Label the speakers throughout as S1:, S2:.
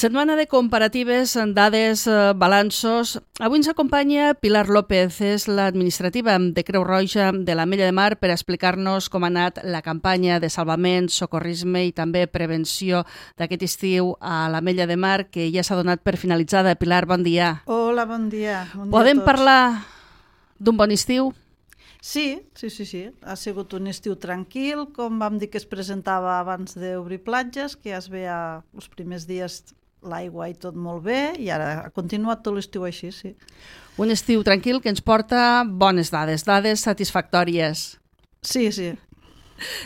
S1: Setmana de comparatives, dades, balanços. Avui ens acompanya Pilar López, és l'administrativa de Creu Roja de l'Ametlla de Mar, per explicar-nos com ha anat la campanya de salvament, socorrisme i també prevenció d'aquest estiu a l'Ametlla de Mar, que ja s'ha donat per finalitzada. Pilar, bon dia.
S2: Hola, bon dia.
S1: Podem parlar d'un bon estiu?
S2: Sí. Ha sigut un estiu tranquil, com vam dir que es presentava abans d'obrir platges, que ja es veia els primers dies l'aigua i tot molt bé, i ara ha continuat tot l'estiu així, sí.
S1: Un estiu tranquil que ens porta bones dades satisfactòries.
S2: Sí.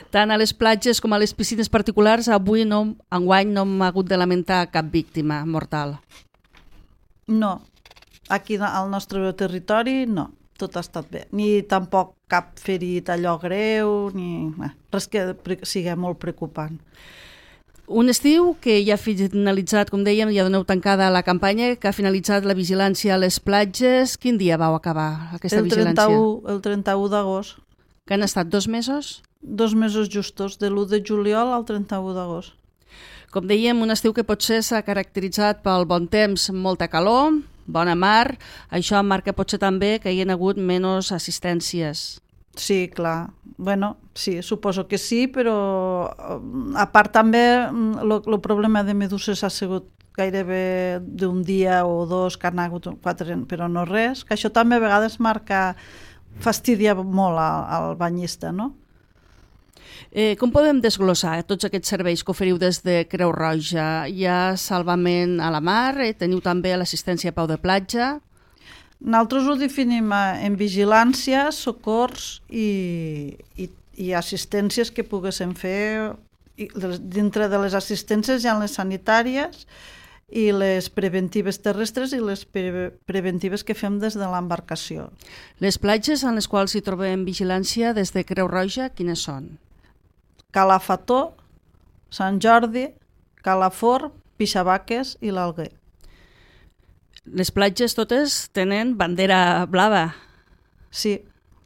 S1: Tant a les platges com a les piscines particulars, enguany no hem hagut de lamentar cap víctima mortal.
S2: No, aquí al nostre territori no. Tot ha estat bé. Ni tampoc cap ferit allò greu, ni res que sigui molt preocupant.
S1: Un estiu que ja ha finalitzat, com dèiem, ja doneu tancada la campanya, que ha finalitzat la vigilància a les platges. Quin dia vau acabar aquesta vigilància?
S2: El 31 d'agost.
S1: Que han estat 2 mesos?
S2: 2 mesos justos, de l'1 de juliol al 31 d'agost.
S1: Com dèiem, un estiu que potser s'ha caracteritzat pel bon temps, molta calor, bona mar. Això marca potser també que hi ha hagut menys assistències.
S2: Sí, clar. Bueno, sí, suposo que sí, però a part també el problema de meduses ha sigut gairebé d'un dia o dos, que han hagut 4, però no res, que això també a vegades fastidia molt al banyista, no?
S1: Com podem desglossar tots aquests serveis que oferiu des de Creu Roja? Hi ha salvament a la mar, teniu també l'assistència a peu de platja.
S2: Nosaltres ho definim en vigilància, socors i assistències que poguéssim fer. Dintre de les assistències hi ha les sanitàries i les preventives terrestres i les preventives que fem des de l'embarcació.
S1: Les platges en les quals hi trobem vigilància des de Creu Roja, quines són?
S2: Calafató, Sant Jordi, Calafort, Pixabaques i l'Alguer.
S1: Les platges totes tenen bandera blava.
S2: Sí,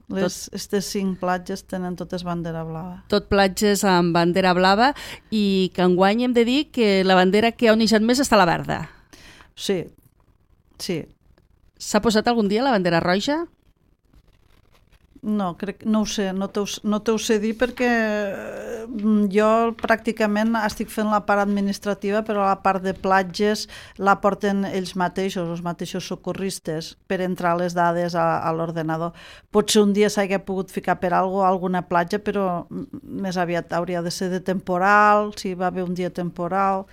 S2: aquestes 5 platges tenen totes bandera blava.
S1: Tot platges amb bandera blava, i que enguany hem de dir que la bandera que ha onejat més està la verda.
S2: Sí.
S1: S'ha posat algun dia la bandera roja?
S2: No ho sé, no t'ho sé dir perquè jo pràcticament estic fent la part administrativa, però la part de platges la porten ells mateixos, els mateixos socorristes, per entrar les dades a l'ordenador. Potser un dia s'hagi pogut ficar per alguna platja, però més aviat hauria de ser de temporal, si va haver un dia temporal.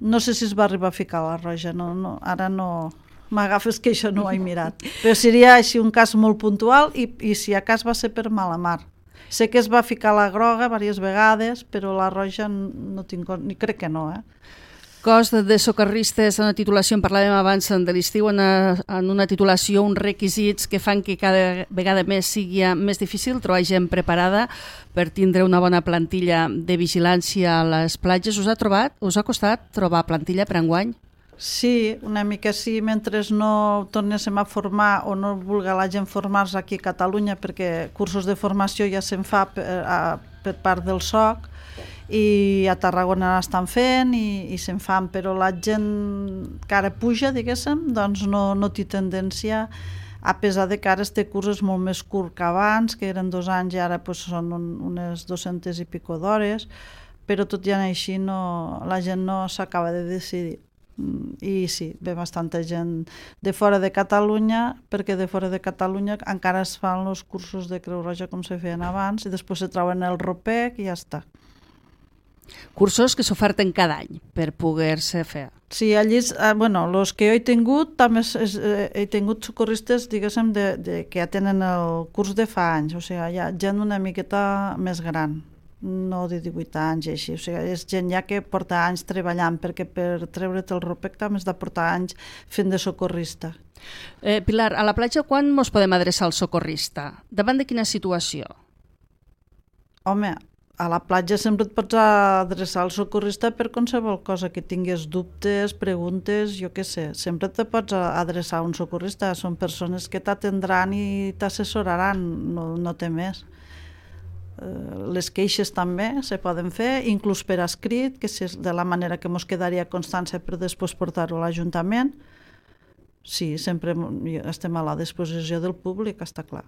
S2: No sé si es va arribar a ficar a la roja, ara no... M'agafes que això no ho he mirat. Però seria així un cas molt puntual i si a cas va ser per mala mar. Sé que es va ficar la groga diverses vegades, però la roja no tinc... crec que no,
S1: Cos de socorristes, en una titulació, en parlàvem abans de l'estiu, en una titulació, uns requisits que fan que cada vegada més sigui més difícil trobar gent preparada per tindre una bona plantilla de vigilància a les platges. Us ha costat trobar plantilla per enguany?
S2: Sí, una mica sí, mentre no tornéssim a formar o no vulgui la gent formar-se aquí a Catalunya, perquè cursos de formació ja se'n fa per part del SOC i a Tarragona l'estan fent i se'n fan, però la gent que ara puja, diguéssim, doncs no té tendència, a pesar de que ara este curs és molt més curt que abans, que eren 2 anys i ara són unes 200 i pico d'hores, però tot i així la gent no s'acaba de decidir. I sí, ve bastanta gent de fora de Catalunya, perquè de fora de Catalunya encara es fan els cursos de Creu Roja com se feien abans i després se trauen el ROPEC i ja està.
S1: Cursos que s'oferten cada any per poder-se fer.
S2: Sí, allí, els que jo he tingut, també he tingut socorristes, diguéssim, que ja tenen el curs de fa anys, o sigui, hi ha gent una miqueta més gran, no de 18 anys i així, o sigui, és gent ja que porta anys treballant, perquè per treure't el ROPEC també has de portar anys fent de socorrista.
S1: Pilar, a la platja quan ens podem adreçar al socorrista? Davant de quina situació?
S2: Home, a la platja sempre et pots adreçar al socorrista per qualsevol cosa que tinguis dubtes, preguntes, jo què sé, sempre te pots adreçar a un socorrista, són persones que t'atendran i t'assessoraran, no té més. les queixes també se poden fer, inclús per escrit, que és de la manera que ens quedaria constància per després portar-ho a l'Ajuntament. Sí, sempre estem a la disposició del públic, està clar.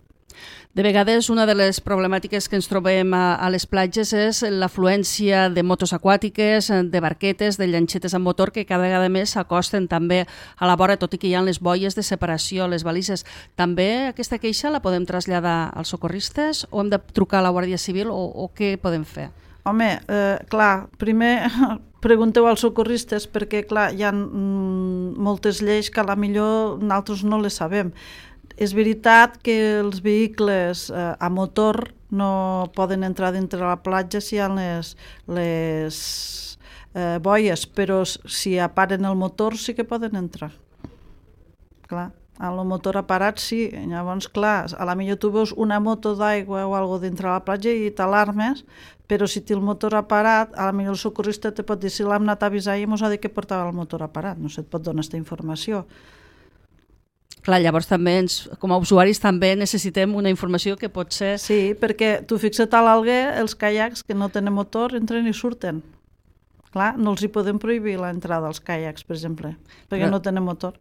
S1: De vegades, una de les problemàtiques que ens trobem a les platges és l'afluència de motos aquàtiques, de barquetes, de llanxetes amb motor, que cada vegada més s'acosten també a la vora, tot i que hi ha les boies de separació, les balises. També aquesta queixa la podem traslladar als socorristes o hem de trucar a la Guàrdia Civil o què podem fer?
S2: Home, clar, primer pregunteu als socorristes perquè, clar, hi ha moltes lleis que a la millor nosaltres no les sabem. És veritat que els vehicles a motor no poden entrar dintre la platja si hi ha les boies, però si aparen el motor sí que poden entrar. Clar, el motor aparat sí, llavors clar, a la millor tu veus una moto d'aigua o algo dintre la platja i t'alarmes, però si té el motor aparat, a la millor el socorrista te pot dir si l'hem anat a avisar i ens ha dit que portava el motor aparat, no se't pot donar aquesta informació.
S1: Clar, llavors també com a usuaris també necessitem una informació que pot ser...
S2: Sí, perquè tu fixa't a l'Alguer, els caiacs que no tenen motor entren i surten. Clar, no els hi podem prohibir l'entrada als caiacs, per exemple, perquè no tenen motor.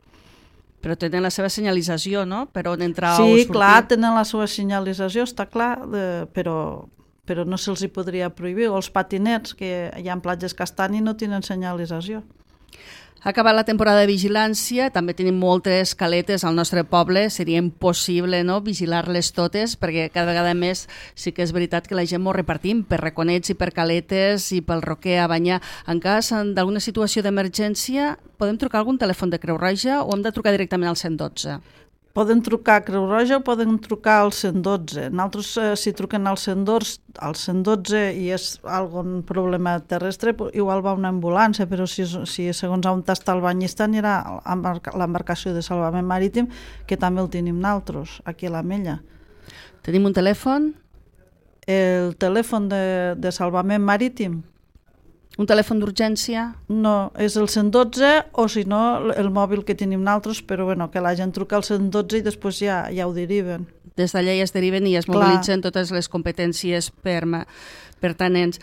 S1: Però tenen la seva senyalització, no?, per on entrar o
S2: sortir.
S1: sortir.
S2: Sí, clar, tenen la seva senyalització, està clar, però no se'ls hi podria prohibir. O els patinets, que hi ha platges que estan i no tenen senyalització.
S1: Ha acabat la temporada de vigilància, també tenim moltes caletes al nostre poble, seria impossible, no?, vigilar-les totes, perquè cada vegada més sí que és veritat que la gent m'ho repartim per reconets i per caletes i pel roquer a banyar. En cas d'alguna situació d'emergència, podem trucar a algun telèfon de Creu Roja o hem de trucar directament al 112?
S2: Poden trucar a Creu Roja o poden trucar al 112. Nosaltres, si truquen al 112 i és algun problema terrestre, igual va una ambulància, però si segons on està el banyista anirà a l'embarcació de salvament marítim, que també el tenim nosaltres, aquí a l'Ametlla.
S1: Tenim un telèfon?
S2: El telèfon de salvament marítim?
S1: Un telèfon d'urgència?
S2: No, és el 112 o si no el mòbil que tenim nosaltres, però bueno, que la gent truca al 112 i després ja ho deriven.
S1: Des d'allà ja es deriven i es mobilitzen totes les competències pertinents.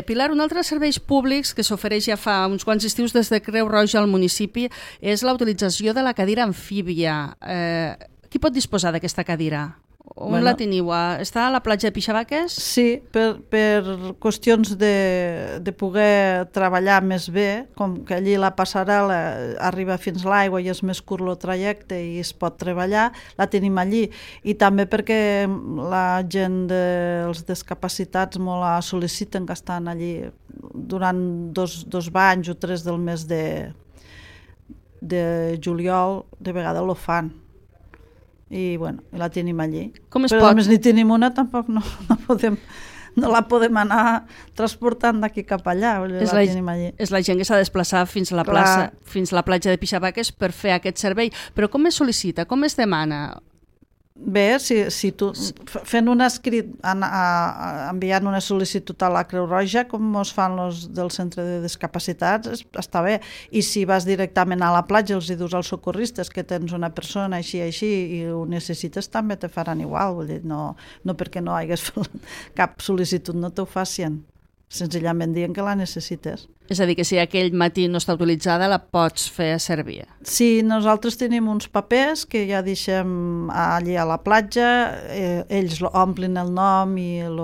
S1: Pilar, un altre dels serveis públics que s'ofereix ja fa uns quants estius des de Creu Roja al municipi és la utilització de la cadira amfíbia. Qui pot disposar d'aquesta cadira? On la teniu? Està a la platja de Pixabaques?
S2: Sí, per qüestions de poder treballar més bé, com que allí la passarel·la arriba fins a l'aigua i és més curt el trajecte i es pot treballar, la tenim allí. I també perquè la gent dels discapacitats molt la sol·liciten, que estan allí durant dos banys o 3 del mes de juliol, de vegades lo fan. I bueno, la tenim allí. Però a més ni tenim una, tampoc no la podem anar transportant d'aquí cap allà, la tenim allí.
S1: És la gent que s'ha de desplaçar fins a la plaça, fins a la platja de Pixabaques per fer aquest servei. Però com es sol·licita, com es demana?
S2: Bé, si tu fent un escrit, enviant una sol·licitud a la Creu Roja, com es fan els del centre de discapacitats, està bé. I si vas directament a la platja, els dius als socorristes que tens una persona així i ho necessites, també te faran igual. Vull dir, no perquè no hagués fet cap sol·licitud no t'ho facin. Senzillament dient que la necessites.
S1: És a dir, que si aquell matí no està utilitzada, la pots fer servir.
S2: Sí, nosaltres tenim uns papers que ja deixem allí a la platja, ells omplin el nom i el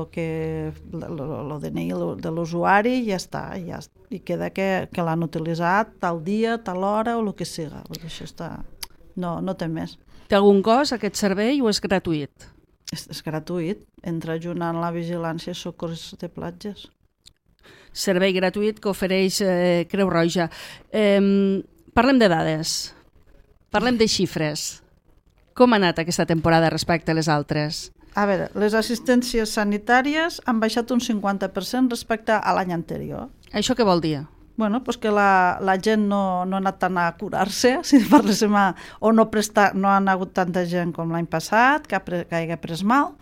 S2: DNI de l'usuari i ja està, i queda que l'han utilitzat tal dia, tal hora o el que siga. Això està... No té més.
S1: Té algun cost aquest servei o és gratuït?
S2: És gratuït, entra junt en la vigilància i socors de platges.
S1: Servei gratuït que ofereix Creu Roja. Parlem de dades, parlem de xifres. Com ha anat aquesta temporada respecte a les altres?
S2: A veure, les assistències sanitàries han baixat un 50% respecte a l'any anterior.
S1: Això què vol dir?
S2: Bueno, pues que la gent no ha anat tant a curar-se, si parléssim, o no ha hagut tanta gent com l'any passat, que hagi pres mal,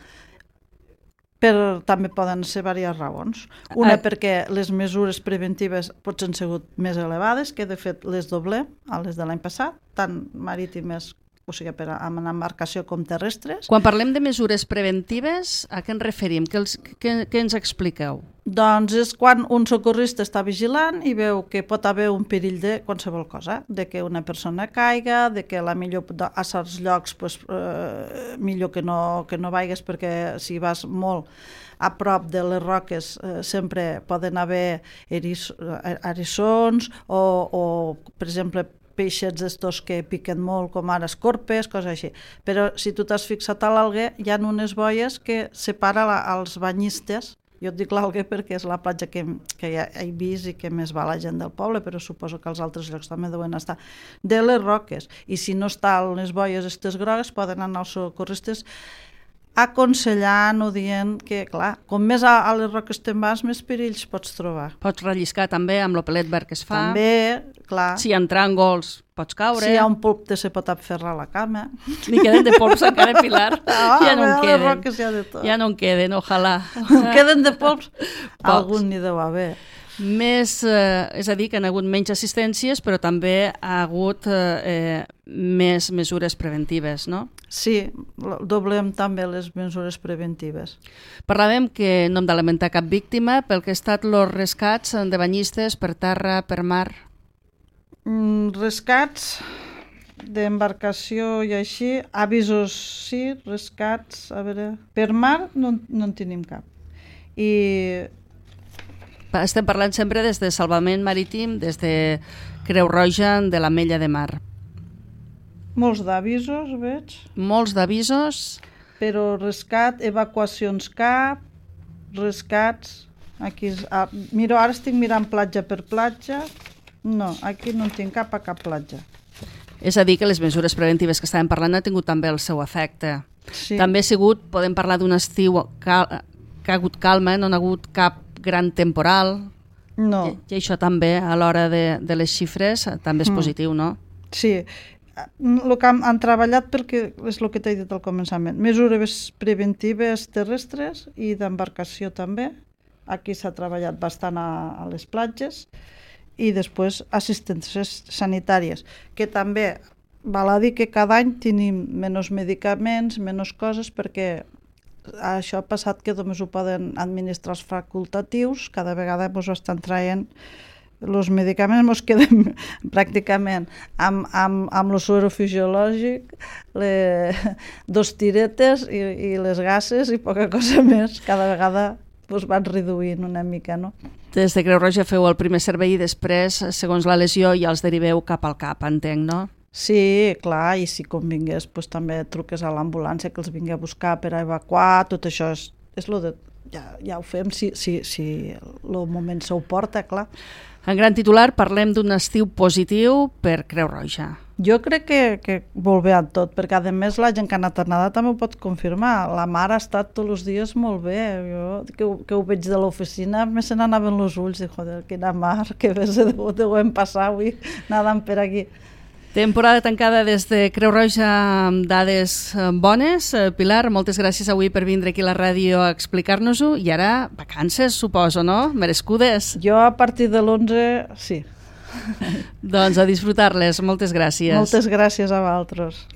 S2: però també poden ser diverses raons. Una perquè les mesures preventives potser han sigut més elevades, que de fet les doblem a les de l'any passat, tant marítimes o sigui, amb una embarcació com terrestres.
S1: Quan parlem de mesures preventives, a què ens referim? Què ens expliqueu?
S2: Doncs és quan un socorrista està vigilant i veu que pot haver un perill de qualsevol cosa, de que una persona caiga, de que a certs llocs millor que no vagis, perquè si vas molt a prop de les roques sempre poden haver eriçons o per exemple, peixets d'estos que piquen molt, com ara escorpes, coses així. Però si tu t'has fixat a l'Alguer, hi ha unes boies que separa els banyistes. Jo et dic l'Alguer perquè és la platja que ja he vist i que més va la gent del poble, però suposo que els altres llocs també deuen estar, de les roques. I si no estan les boies aquestes grogues, poden anar els socorristes aconsellant o dient que, clar, com més a les roques te'n vas, més perills pots trobar.
S1: Pots relliscar també amb l'opelet verd que es fa.
S2: També, clar.
S1: Si hi ha tràngols, pots caure.
S2: Si hi ha un polp se pot aferrar a la cama.
S1: Ni queden de polps encara, Pilar. Ja no en queden.
S2: Les roques hi ha de tot.
S1: Ja no en queden, ojalà.
S2: Queden de polps? Algun n'hi deu haver.
S1: Més, és a dir, que han hagut menys assistències, però també ha hagut més mesures preventives, no?
S2: Sí, doblem també les mesures preventives.
S1: Parlàvem que no hem de lamentar cap víctima pel que ha estat els rescats de banyistes per terra, per mar.
S2: Rescats d'embarcació i així, avisos sí, rescats, a veure, per mar no en tenim cap. I
S1: estem parlant sempre des de Salvament Marítim, des de Creu Roja de l'Ametlla de Mar.
S2: Molts d'avisos, veig.
S1: Molts d'avisos.
S2: Però rescat, evacuacions cap, rescats... Aquí, miro, ara estic mirant platja per platja. No, aquí no en tinc cap a cap platja.
S1: És a dir, que les mesures preventives que estàvem parlant han tingut també el seu efecte.
S2: Sí.
S1: També ha sigut, podem parlar d'un estiu que ha hagut calma, no ha hagut cap gran temporal.
S2: No.
S1: I això també, a l'hora de les xifres, també és positiu, no?
S2: Sí. El que han treballat, perquè és el que t'he dit al començament, mesures preventives terrestres i d'embarcació també. Aquí s'ha treballat bastant a les platges i després assistències sanitàries, que també val a dir que cada any tenim menys medicaments, menys coses, perquè això ha passat que només ho poden administrar els facultatius, cada vegada ens estan traient els medicaments, ens quedem pràcticament amb el suero fisiològic, dos tiretes i les gases i poca cosa més. Cada vegada van reduint una mica, no?
S1: Des de Creu Roja feu el primer servei i després, segons la lesió, ja els deriveu cap al CAP, entenc, no?
S2: Sí, clar, i si convingués també truques a l'ambulància que els vingui a buscar per a evacuar, tot això és lo de... Ja ho fem si el moment s'ho porta, clar.
S1: En gran titular parlem d'un estiu positiu per Creu Roja.
S2: Jo crec que molt bé en tot, perquè a més la gent que ha anat a nedar també ho pot confirmar. La mar ha estat tots els dies molt bé. Jo que ho veig de l'oficina me se n'anaven els ulls, i joder, quina mar, que bé se deuen passar avui nedant per aquí.
S1: Temporada tancada des de Creu Roja amb dades bones. Pilar, moltes gràcies avui per vindre aquí a la ràdio a explicar-nos-ho. I ara, vacances, suposo, no? Merescudes.
S2: Jo a partir de l'11, sí.
S1: Doncs a disfrutar-les. Moltes gràcies.
S2: Moltes gràcies a vosaltres.